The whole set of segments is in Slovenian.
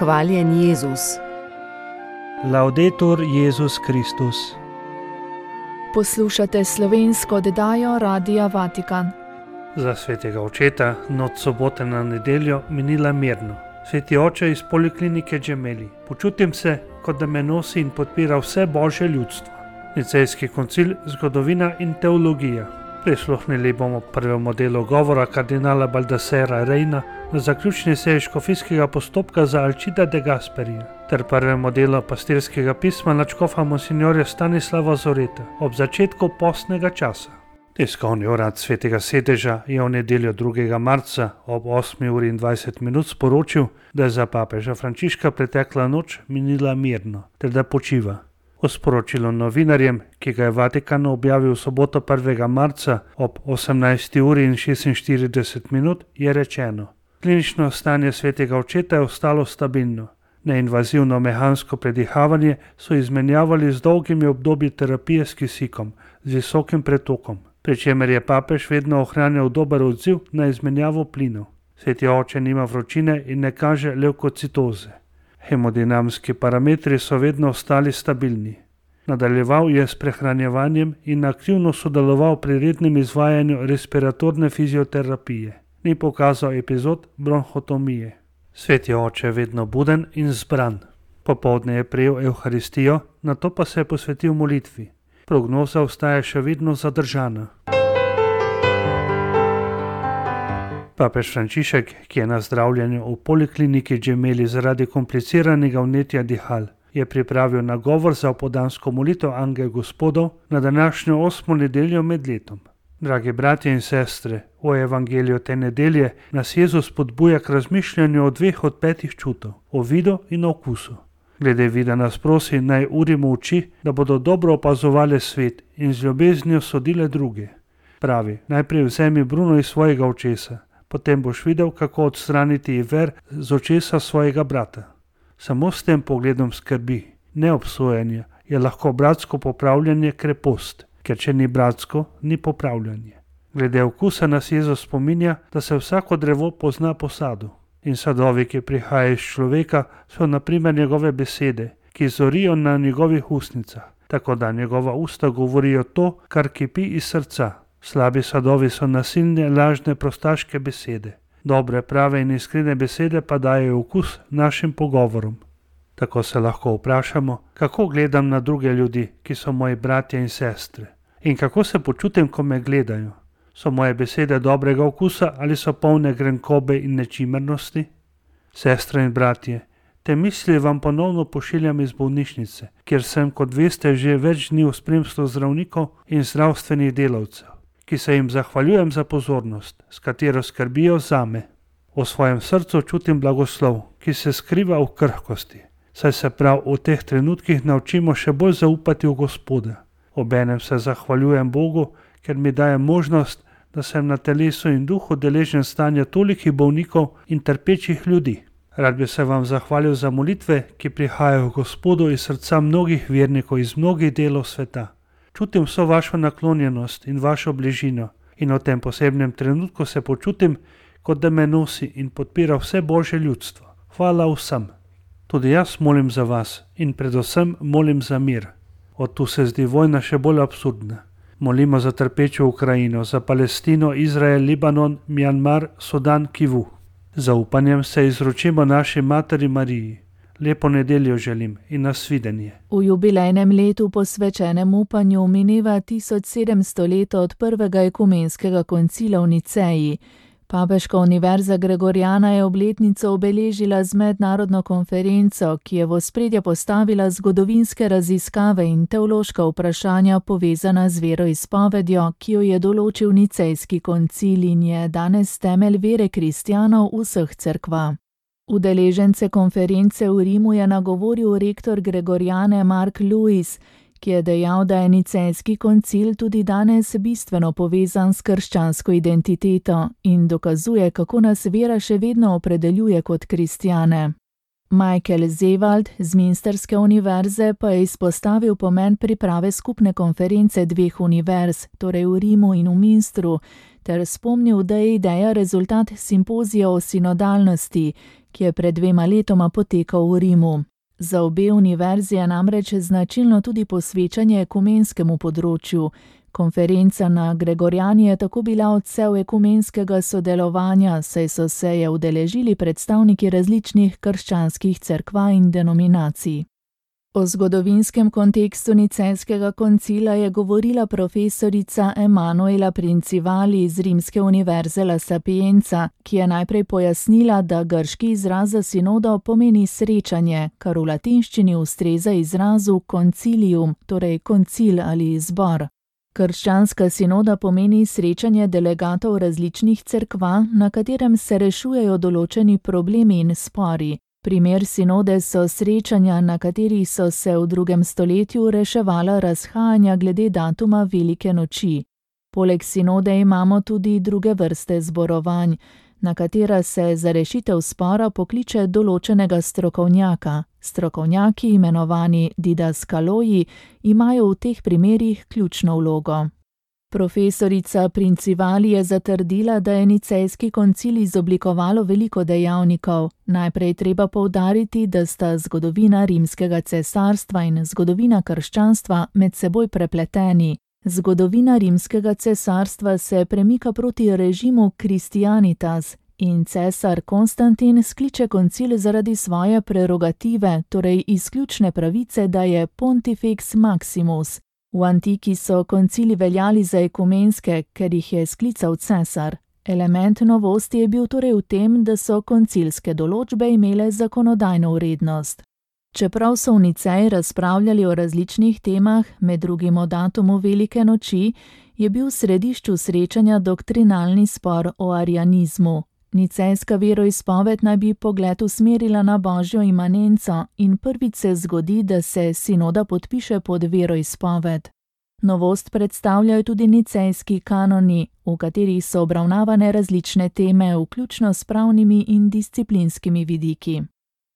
Hvaljen Jezus. Laudetur Jezus Kristus. Poslušate slovensko oddajo Radia Vatikan. Za svetega očeta noč sobote na nedeljo minila mirno. Sveti oče iz poliklinike Gemelli, počutim se, kot da me nosi in podpira vse božje ljudstvo. Nicejski koncil, zgodovina in teologija. Prisluhnili bomo prvemu delu govora kardinala Baldassarra Reina na zaključni seji škofijskega postopka za Alcida de Gasperija ter prvemu delu pastirskega pisma nadškofa monsignorja Stanislava Zoreta ob začetku postnega časa. Tiskovni urad Svetega sedeža je v nedeljo 2. marca ob 8:20 sporočil, da je za papeža Frančiška pretekla noč minila mirno ter da počiva. V sporočilu novinarjem, ki ga je Vatikan objavil v soboto 1. marca ob 18:46 je rečeno: klinično stanje svetega očeta je ostalo stabilno. Neinvazivno mehansko predihavanje so izmenjavali z dolgimi obdobji terapije s kisikom, z visokim pretokom, pri čemer je papež vedno ohranjal dober odziv na izmenjavo plinov. Sveti oče nima vročine in ne kaže levkocitoze. Hemodinamski parametri so vedno ostali stabilni. Nadaljeval je s prehranjevanjem in aktivno sodeloval pri rednem izvajanju respiratorne fizioterapije. Ni pokazal epizod bronhotomije. Sveti oče je vedno buden in zbran. Popoldne je prejel evharistijo, nato pa se je posvetil molitvi. Prognoza ostaja še vedno zadržana. Papež Frančišek, ki je na zdravljenju v polikliniki Gemelli zaradi kompliciranega vnetja dihal, je pripravil nagovor za opoldansko molitev Angel Gospodov na današnjo 8. nedeljo med letom. Dragi bratje in sestre, v evangeliju te nedelje nas Jezus spodbuja k razmišljanju o 2 od 5 čutov, o vidu in okusu. Glede vida nas prosi, naj urimo oči, da bodo dobro opazovali svet in z ljubeznijo sodile druge. Pravi, najprej vzemi bruno iz svojega očesa, potem boš videl, kako odstraniti iver z očesa svojega brata. Samo s tem pogledom skrbi, ne obsojanja, je lahko bratsko popravljanje krepost, ker če ni bratsko, ni popravljanje. Glede okusa nas Jezus spominja, da se vsako drevo pozna po sadu. In sadovi, ki prihajajo iz človeka, so na primer njegove besede, ki zorijo na njegovih ustnicah, tako da njegova usta govorijo to, kar kipi iz srca. Slabi sadovi so nasilne, lažne, prostaške besede. Dobre, prave in iskrene besede pa dajejo okus našim pogovorom. Tako se lahko vprašamo, kako gledam na druge ljudi, ki so moji bratje in sestre. In kako se počutim, ko me gledajo. So moje besede dobrega okusa ali so polne grenkobe in nečimernosti? Sestre in bratje, te misli vam ponovno pošiljam iz bolnišnice, kjer sem, kot veste, že več dni v spremstvu zdravnikov in zdravstvenih delavcev, ki se jim zahvaljujem za pozornost, s katero skrbijo zame. V svojem srcu čutim blagoslov, ki se skriva v krhkosti, saj se prav v teh trenutkih naučimo še bolj zaupati v Gospoda. Obenem se zahvaljujem Bogu, ker mi daje možnost, da sem na telesu in duhu deležen stanja tolikih bolnikov in trpečih ljudi. Rad bi se vam zahvalil za molitve, ki prihajajo k Gospodu iz srca mnogih vernikov iz mnogih delov sveta. Čutim vso vašo naklonjenost in vašo bližino in v tem posebnem trenutku se počutim, kot da me nosi in podpira vse božje ljudstvo. Hvala vsem. Tudi jaz molim za vas in predvsem molim za mir. Od tu se zdi vojna še bolj absurdna. Molimo za trpečo Ukrajino, za Palestino, Izrael, Libanon, Mjanmar, Sudan, Kivu. Za upanjem se izročimo naši materi Mariji. Lepo nedeljo želim in nasvidenje. V jubilejnem letu posvečenem upanju mineva 1700 let od prvega ekumenskega koncila v Niceji. Papeška univerza Gregoriana je obletnico obeležila z mednarodno konferenco, ki je v ospredje postavila zgodovinske raziskave in teološka vprašanja povezana z veroizpovedjo, ki jo je določil Nicejski koncil in je danes temelj vere kristjanov vseh cerkva. Udeležence konference v Rimu je nagovoril rektor Gregoriane Mark Lewis, ki je dejal, da je Nicejski koncil tudi danes bistveno povezan s krščansko identiteto in dokazuje, kako nas vera še vedno opredeljuje kot kristjane. Michael Zewald z Münsterske univerze pa je izpostavil pomen priprave skupne konference 2 univerz, torej v Rimu in v Münstru, ter spomnil, da je ideja rezultat simpozija o sinodalnosti, ki je pred 2 letoma potekal v Rimu. Za obe univerzi je namreč značilno tudi posvečanje ekumenskemu področju. Konferenca na Gregorjani je tako bila odsev ekumenskega sodelovanja, saj so se je udeležili predstavniki različnih krščanskih cerkva in denominacij. O zgodovinskem kontekstu Nicejskega koncila je govorila profesorica Emanuela Princivali iz Rimske univerze La Sapienza, ki je najprej pojasnila, da grški izraz za sinodo pomeni srečanje, kar v latinščini ustreza izrazu concilium, torej koncil ali zbor. Krščanska sinoda pomeni srečanje delegatov različnih cerkva, na katerem se rešujejo določeni problemi in spori. Primer sinode so srečanja, na katerih so se v 2. stoletju reševala razhajanja glede datuma Velike noči. Poleg sinode imamo tudi druge vrste zborovanj, na katera se za rešitev spora pokliče določenega strokovnjaka. Strokovnjaki, imenovani didaskaloji, imajo v teh primerih ključno vlogo. Profesorica Princivali je zatrdila, da je Nicejski koncil izoblikovalo veliko dejavnikov. Najprej treba poudariti, da sta zgodovina Rimskega cesarstva in zgodovina krščanstva med seboj prepleteni. Zgodovina Rimskega cesarstva se premika proti režimu Christianitas in cesar Konstantin skliče koncil zaradi svoje prerogative, torej izključne pravice, da je Pontifex Maximus. V antiki so koncili veljali za ekumenske, ker jih je sklical cesar. Element novosti je bil torej v tem, da so koncilske določbe imele zakonodajno vrednost. Čeprav so v Niceji razpravljali o različnih temah, med drugim o datumu Velike noči, je bil v središču srečanja doktrinalni spor o arianizmu. Nicejska veroizpoved naj bi pogled usmerila na božjo imanenco in prvič se zgodi, da se sinoda podpiše pod veroizpoved. Novost predstavljajo tudi nicejski kanoni, v katerih so obravnavane različne teme, vključno s pravnimi in disciplinskimi vidiki.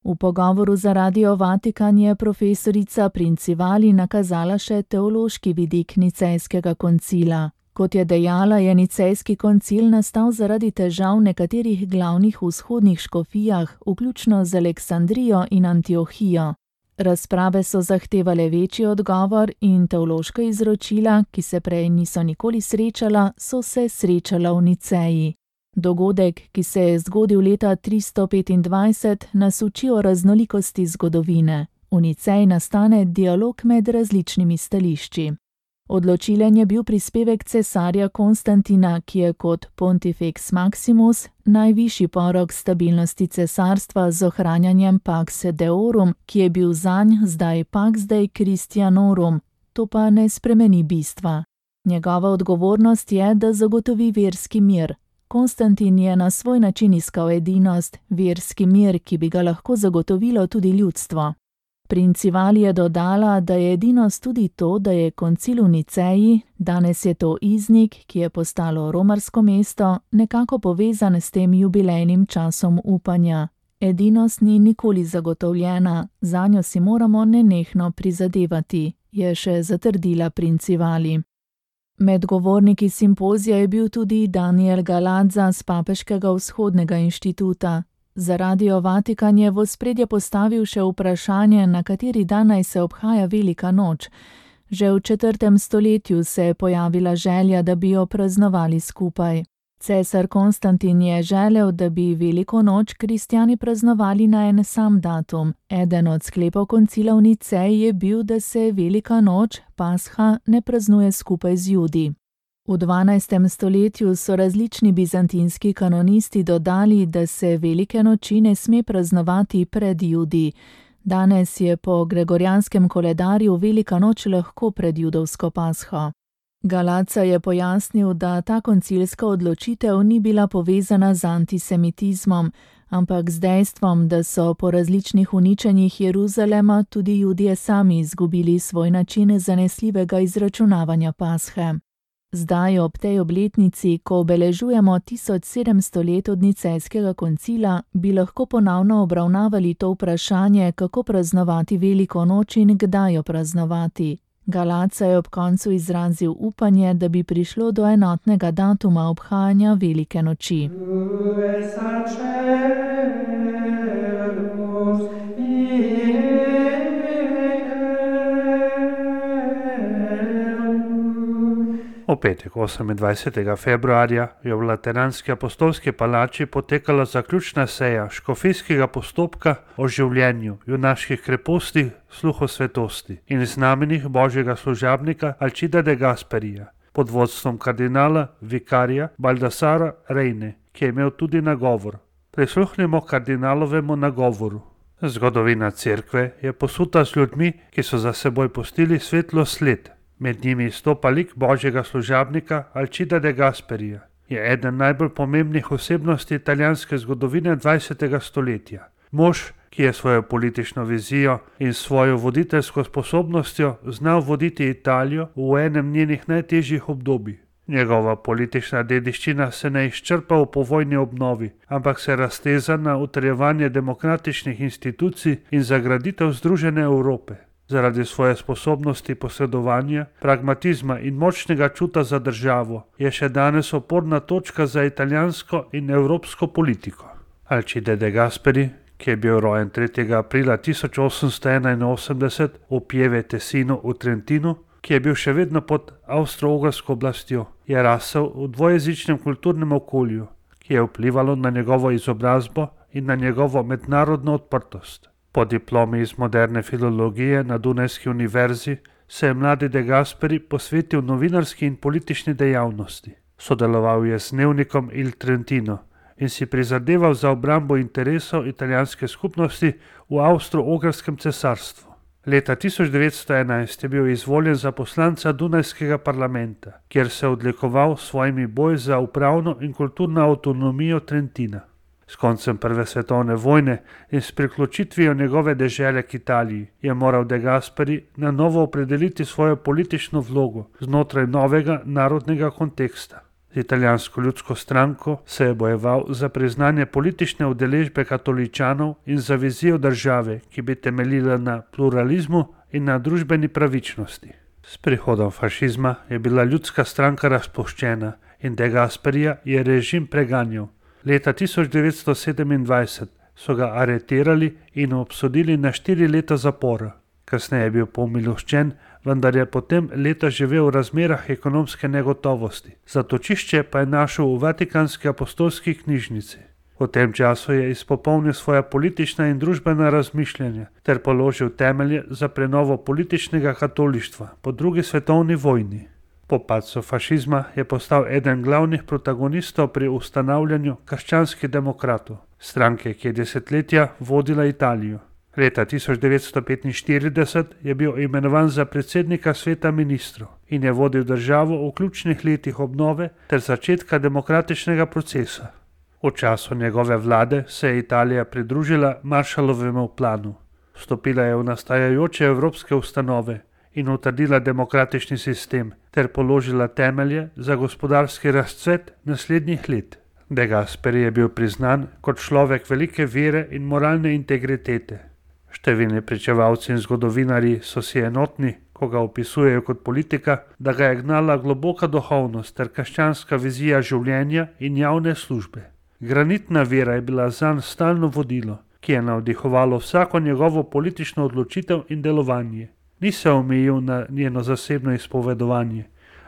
V pogovoru za Radio Vatikan je profesorica Princivali nakazala še teološki vidik Nicejskega koncila. Kot je dejala, je Nicejski koncil nastal zaradi težav nekaterih glavnih vzhodnih škofijah, vključno z Aleksandrijo in Antiohijo. Razprave so zahtevale večji odgovor in teološka izročila, ki se prej niso nikoli srečala, so se srečala v Niceji. Dogodek, ki se je zgodil leta 325, nas uči o raznolikosti zgodovine. V Niceji nastane dialog med različnimi stališči. Odločilen je bil prispevek cesarja Konstantina, ki je kot Pontifex Maximus najvišji porok stabilnosti cesarstva z ohranjanjem Pax Deorum, ki je bil zanj zdaj Pax Dei Christianorum, to pa ne spremeni bistva. Njegova odgovornost je, da zagotovi verski mir. Konstantin je na svoj način iskal edinost, verski mir, ki bi ga lahko zagotovilo tudi ljudstvo. Princivali je dodala, da je edinost tudi to, da je koncil v Niceji, danes je to Iznik, ki je postalo romarsko mesto, nekako povezan s tem jubilejnim časom upanja. Edinost ni nikoli zagotovljena, zanjo si moramo nenehno prizadevati, je še zatrdila Princivali. Med govorniki simpozija je bil tudi Daniel Galadza z Papeškega vzhodnega inštituta. Za Radio Vatikan je v ospredje postavil še vprašanje, na kateri dan naj se obhaja Velika noč. Že v 4. stoletju se je pojavila želja, da bi jo praznovali skupaj. Cesar Konstantin je želel, da bi Veliko noč kristjani praznovali na en sam datum. Eden od sklepov koncila v Niceji je bil, da se Velika noč, Pasha, ne praznuje skupaj z Judi. V 12. stoletju so različni bizantinski kanonisti dodali, da se Velike noči ne sme praznovati pred Judi. Danes je po gregorjanskem koledarju Velika noč lahko pred judovsko Pasho. Galadza je pojasnil, da ta koncilska odločitev ni bila povezana z antisemitizmom, ampak z dejstvom, da so po različnih uničenjih Jeruzalema tudi Judje sami izgubili svoj način zanesljivega izračunavanja Pashe. Zdaj ob tej obletnici, ko obeležujemo 1700 let od Nicejskega koncila, bi lahko ponovno obravnavali to vprašanje, kako praznovati Veliko noč in kdaj jo praznovati. Galaca je ob koncu izrazil upanje, da bi prišlo do enotnega datuma obhajanja velike noči. V petek 28. februarja je v Lateranski apostolski palači potekala zaključna seja škofijskega postopka o življenju, junaških krepostih, sluhu svetosti in znamenjih božjega služabnika Alcida de Gasperija pod vodstvom kardinala vikarija Baldassara Reine, ki je imel tudi nagovor. Prisluhnimo kardinalovemu nagovoru. Zgodovina cerkve je posuta z ljudmi, ki so za seboj pustili svetlo sled. Med njimi izstopa lik božjega služabnika Alcida de Gasperija. Je eden najbolj pomembnih osebnosti italijanske zgodovine 20. stoletja. Mož, ki je svojo politično vizijo in svojo voditeljsko sposobnostjo znal voditi Italijo v enem njenih najtežjih obdobij. Njegova politična dediščina se ne izčrpa v povojni obnovi, ampak se razteza na utrjevanje demokratičnih institucij in zagraditev združene Evrope. Zaradi svoje sposobnosti posredovanja, pragmatizma in močnega čuta za državo je še danes oporna točka za italijansko in evropsko politiko. Alcide de Gasperi, ki je bil rojen 3. aprila 1881 v Pieve Tesino v Trentinu, ki je bil še vedno pod avstro-ogrsko oblastjo, je rasel v dvojezičnem kulturnem okolju, ki je vplivalo na njegovo izobrazbo in na njegovo mednarodno odprtost. Po diplomi iz moderne filologije na Dunajski univerzi se je mladi de Gasperi posvetil novinarski in politični dejavnosti. Sodeloval je z dnevnikom Il Trentino in si prizadeval za obrambo interesov italijanske skupnosti v Avstro-Ogrskem cesarstvu. Leta 1911 je bil izvoljen za poslanca Dunajskega parlamenta, kjer se je odlikoval s svojimi boji za upravno in kulturno avtonomijo Trentina. S koncem Prve svetovne vojne in s priključitvijo njegove dežele k Italiji je moral de Gasperi na novo opredeliti svojo politično vlogo znotraj novega narodnega konteksta. Z italijansko ljudsko stranko se je bojeval za priznanje politične udeležbe katoličanov in za vizijo države, ki bi temeljila na pluralizmu in na družbeni pravičnosti. S prihodom fašizma je bila ljudska stranka razpuščena in de Gasperija je režim preganjal. Leta 1927 so ga aretirali in obsodili na 4 leta zapora. Kasneje je bil pomiloščen, vendar je potem leta živel v razmerah ekonomske negotovosti. Zatočišče pa je našel v Vatikanski apostolski knjižnici. V tem času je izpopolnil svoja politična in družbena razmišljanja ter položil temelje za prenovo političnega katolištva po drugi svetovni vojni. Po padcu fašizma je postal eden glavnih protagonistov pri ustanavljanju krščanskih demokratov, stranke, ki je desetletja vodila Italijo. Leta 1945 je bil imenovan za predsednika sveta ministrov in je vodil državo v ključnih letih obnove ter začetka demokratičnega procesa. V času njegove vlade se je Italija pridružila Marshallovemu planu. Vstopila je v nastajajoče evropske ustanove in utrdila demokratični sistem ter položila temelje za gospodarski razcvet naslednjih let. De Gasperi je bil priznan kot človek velike vere in moralne integritete. Številni pričevalci in zgodovinarji so si enotni, ko ga opisujejo kot politika, da ga je gnala globoka duhovnost ter krščanska vizija življenja in javne službe. Granitna vera je bila zanj stalno vodilo, ki je navdihovalo vsako njegovo politično odločitev in delovanje. Ni se omejil na njeno zasebno izpovedovanje,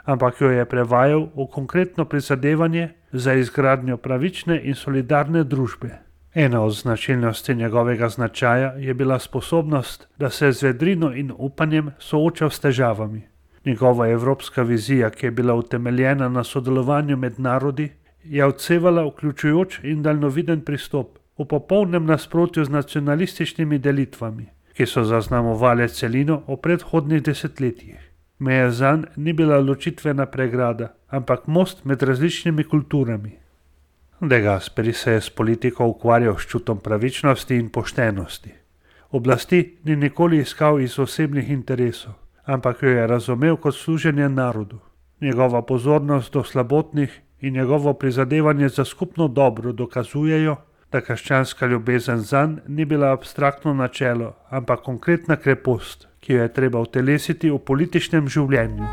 ampak jo je prevajal v konkretno prizadevanje za izgradnjo pravične in solidarne družbe. Ena od značilnosti njegovega značaja je bila sposobnost, da se z vedrino in upanjem soočal s težavami. Njegova evropska vizija, ki je bila utemeljena na sodelovanju med narodi, je odsevala vključujoč in daljnoviden pristop, v popolnem nasprotju z nacionalističnimi delitvami, ki so zaznamovale celino v predhodnih desetletjih. Meja zanj ni bila ločitvena pregrada, ampak most med različnimi kulturami. De Gasperi se je s politiko ukvarjal s čutom pravičnosti in poštenosti. Oblasti ni nikoli iskal iz osebnih interesov, ampak jo je razumel kot služenje narodu. Njegova pozornost do slabotnih in njegovo prizadevanje za skupno dobro dokazujejo, da krščanska ljubezen zanj ni bila abstraktno načelo, ampak konkretna krepost, ki jo je treba utelesiti v političnem življenju.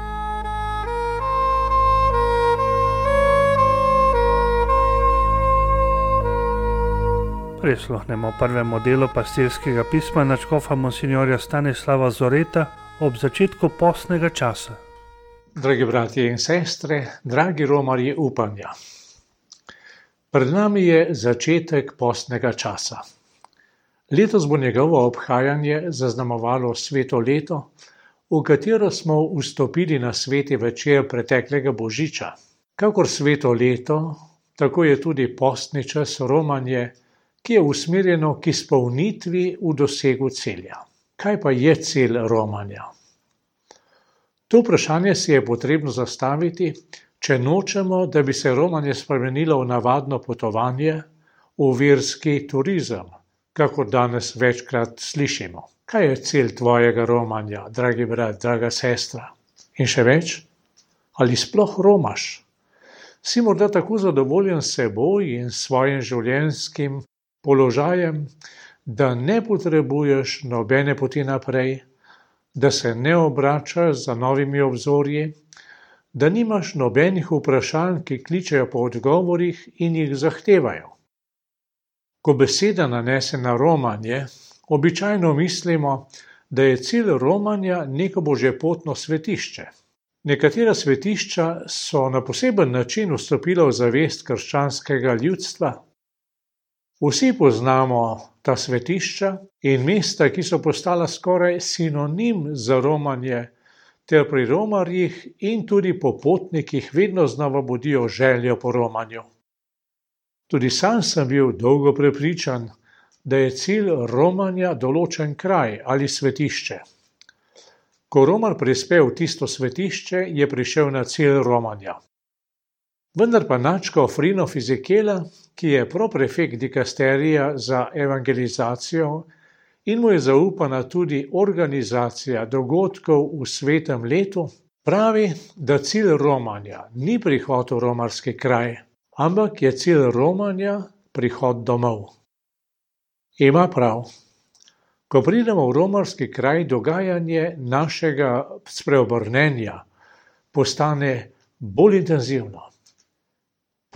Prisluhnemo prvemu delu pastirskega pisma nadškofa monsinjorja Stanislava Zoreta ob začetku postnega časa. Dragi bratje in sestre, dragi romarji upanja. Pred nami je začetek postnega časa. Letos bo njegovo obhajanje zaznamovalo sveto leto, v katero smo vstopili na sveti večer preteklega božiča. Kakor sveto leto, tako je tudi postni čas romanje, ki je usmerjeno k izpolnitvi v dosegu cilja. Kaj pa je cilj romanja? To vprašanje si je potrebno zastaviti, če nočemo, da bi se romanje spremenilo v navadno potovanje, v verski turizem, kakor danes večkrat slišimo. Kaj je cilj tvojega romanja, dragi brat, draga sestra? In še več? Ali sploh romaš? Si morda tako zadovoljen s seboj in svojim življenjskim položajem, da ne potrebuješ nobene poti naprej, da se ne obračaš za novimi obzorji, da nimaš nobenih vprašanj, ki kličejo po odgovorih in jih zahtevajo. Ko beseda nanese na romanje, običajno mislimo, da je cilj romanja neko božjepotno svetišče. Nekatera svetišča so na poseben način vstopila v zavest krščanskega ljudstva. Vsi poznamo ta svetišča in mesta, ki so postala skoraj sinonim za romanje, ter pri romarjih in tudi popotnikih vedno znova budijo željo po romanju. Tudi sam sem bil dolgo prepričan, da je cilj romanja določen kraj ali svetišče. Ko romar prispe v tisto svetišče, je prišel na cilj romanja. Vendar pa nadškof Frino Fizikela, ki je proprefekt dikasterija za evangelizacijo in mu je zaupana tudi organizacija dogodkov v svetem letu, pravi, da cilj romanja ni prihod v romarski kraj, ampak je cilj romanja prihod domov. Ima prav. Ko pridemo v romarski kraj, dogajanje našega spreobrnenja postane bolj intenzivno.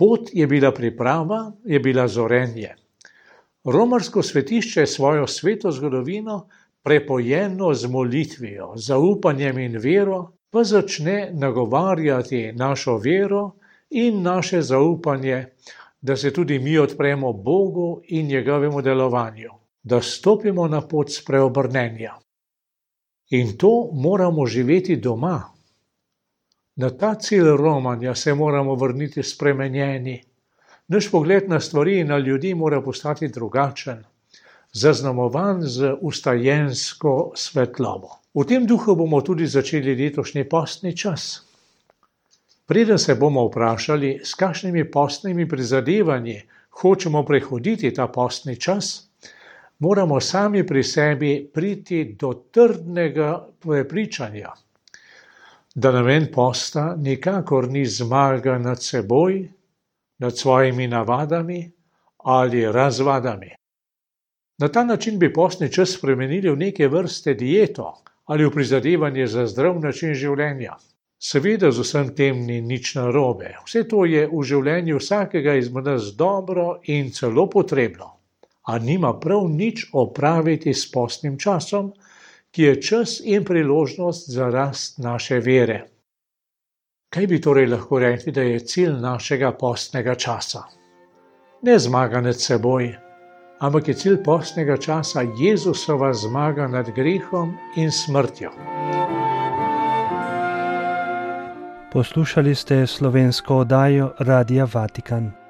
Pot je bila priprava, je bila zorenje. Romarsko svetišče je svojo sveto zgodovino prepojeno z molitvijo, zaupanjem in vero, pa začne nagovarjati našo vero in naše zaupanje, da se tudi mi odpremo Bogu in njegovemu delovanju, da stopimo na pot spreobrnenja. In to moramo živeti doma. Na ta cilj romanja se moramo vrniti spremenjeni. Naš pogled na stvari in na ljudi mora postati drugačen, zaznamovan z vstajensko svetlobo. V tem duhu bomo tudi začeli letošnji postni čas. Preden se bomo vprašali, s kakšnimi postnimi prizadevanji hočemo prehoditi ta postni čas, moramo sami pri sebi priti do trdnega prepričanja, da namen posta nikakor ni zmaga nad seboj, nad svojimi navadami ali razvadami. Na ta način bi postni čas spremenili v neke vrste dieto ali v prizadevanje za zdrav način življenja. Seveda z vsem tem ni nič narobe. Vse to je v življenju vsakega izmed nas dobro in celo potrebno, a nima prav nič opraviti s postnim časom, ki je čas in priložnost za rast naše vere. Kaj bi torej lahko rekli, da je cilj našega postnega časa? Ne zmaga nad seboj, ampak je cilj postnega časa Jezusova zmaga nad grehom in smrtjo. Poslušali ste slovensko oddajo Radia Vatikan.